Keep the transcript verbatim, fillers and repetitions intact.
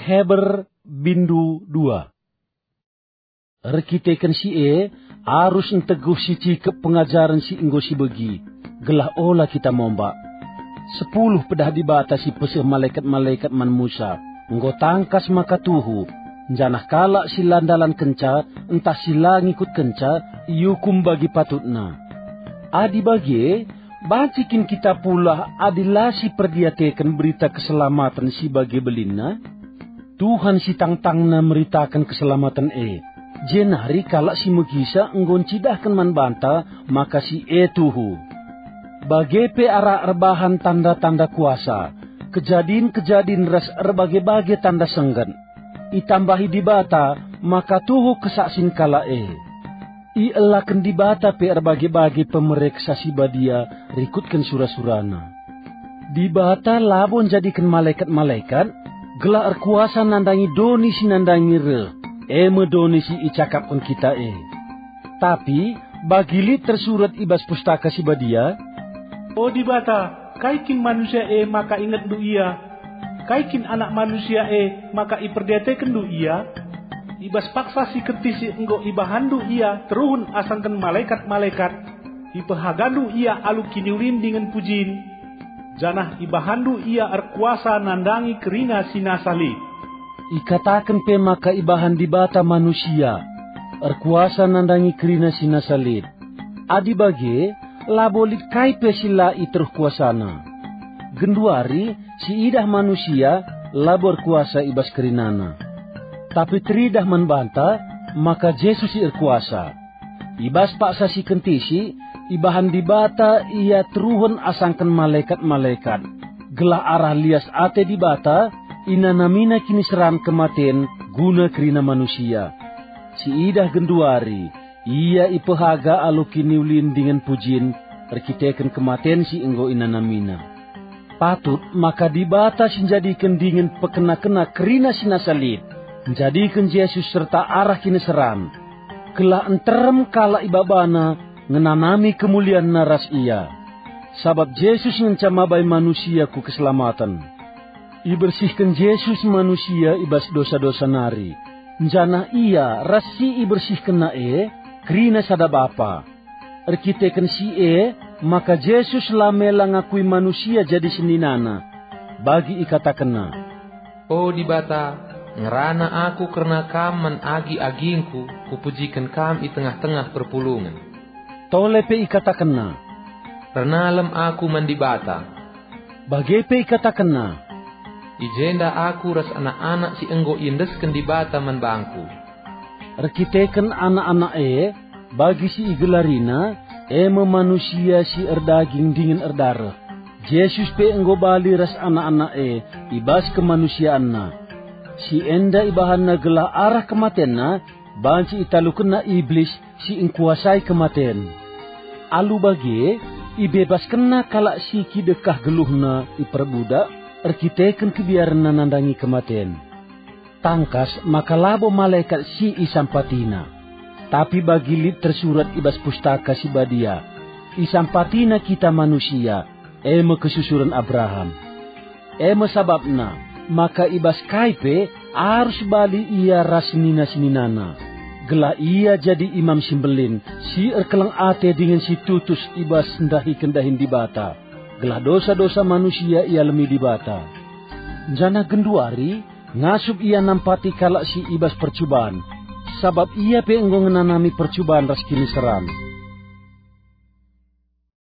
Heber bindu dua. Erkiteken si e, arus nteguh si cikep pengajaren si enggo sibegi, gelah ola kita mombak. Sepuluh pedah Dibata si peseh malekat-malekat man Musa, enggo tangkas maka tuhu, janah kalak si la ndalankenca ntah si la ngikutkenca iukum bagi patutna. Adi bage, banci kin kita pulah adi la siperdiateken berita keselamaten si bage belinna? Tuhan si tangtangna meritaken keselamaten e, jenari kalak si megisa enggo ncidahken man banta maka si e tuhu. Bage pe arah erbahan tanda-tanda kuasa, kejadin-kejadin ras erbage-bage tanda sengget. Itambahi Dibata maka tuhu kesaksin kalak e. Ielaken Dibata pe erbage-bage pemereksa si badia rikutken sura-suraNa. Dibata labo njadiken malekat-malekat gelah erkuasa nandangi doni si nandangi reh, e me doni si icakapken kita e. Tapi bagi lit tersurat i bas Pustaka Si Badia, "O Dibata, kai kin manusia e maka ingetndu ia? Kai kin anak manusia e maka iperdiatekenndu ia? I bas paksa si kentisik enggo ibahanndu ia teruhen asangken malekat-malekat, ipehagandu ia alu kiniulin dingen pujin, janah ibahanndu ia erkuasa nandangi kerina si nasa lit." Ikataken pe maka ibahan Dibata manusia, erkuasa nandangi kerina si nasa lit. Adi bage, labo lit kai pe si la iteruh kuasana. Genduari, si idah manusia labo erkuasa i bas kerinana. Tapi teridah man banta maka Jesus si erkuasa. I bas paksa si kentisik, ibahan Dibata ia teruhen asangken malekat-malekat, gelah arah lias ate Dibata inanamina kiniseran kematen guna kerina manusia. Si idah genduari, ia ipehaga alu kiniulin dingen pujin erkiteken kematen si enggo inanamina. Patut maka Dibata si njadiken dingen pekena-kena kerina si nasa lit, njadiken Jesus serta arah kiniseran, gelah nterem kalak ibabaNa ngenanami kemulianNa ras Ia. Sabap Jesus ngenca mabai manusia ku keselamaten. Ibersihken Jesus manusia i bas dosa-dosa nari, janah Ia ras si ibersihkenNa e kerina sada Bapa. Erkiteken si e, maka Jesus la mela ngakui manusia jadi seninana. Bagi ikatakenNa, "O Dibata, ngerana aku kerna Kam man agi-agingku, kupujiken Kam i tengah-tengah perpulungen." Tole pe ikatakenNa, "Ernalem aku man Dibata." Bage pe ikatakenNa, "I jenda aku ras anak-anak si enggo iendesken Dibata man bangku." Erkiteken anak-anak e, bagi si igelarinNa, e me manusia si erdaging dingen erdareh, Jesus pe enggo bali ras anak-anak e i bas kemanusianNa. Si enda ibahanNa gelah arah kematenNa banci italukenNa Iblis si engkuasai kematen. Alu bage, ibebaskenNa kalak si kidekah geluhna iperbudak erkiteken kebiarenna nandangi kematen. Tangkas maka labo malekat si isampatiNa, tapi bagi lit tersurat i bas Pustaka Si Badia, isampatiNa kita manusia, e me kesusuren Abraham. E me sabapna maka i bas kai pe arus bali ia ras senina-seninana, gelah ia jadi Imam si Mbelin, si erkeleng ate dingen si tutus i bas ndahiken dahin Dibata, gelah dosa-dosa manusia ialemi Dibata. Janah genduari ngasup ia nampati kalak si i bas percuban, sabap ia pe enggo ngenanami percuban ras kiniseran.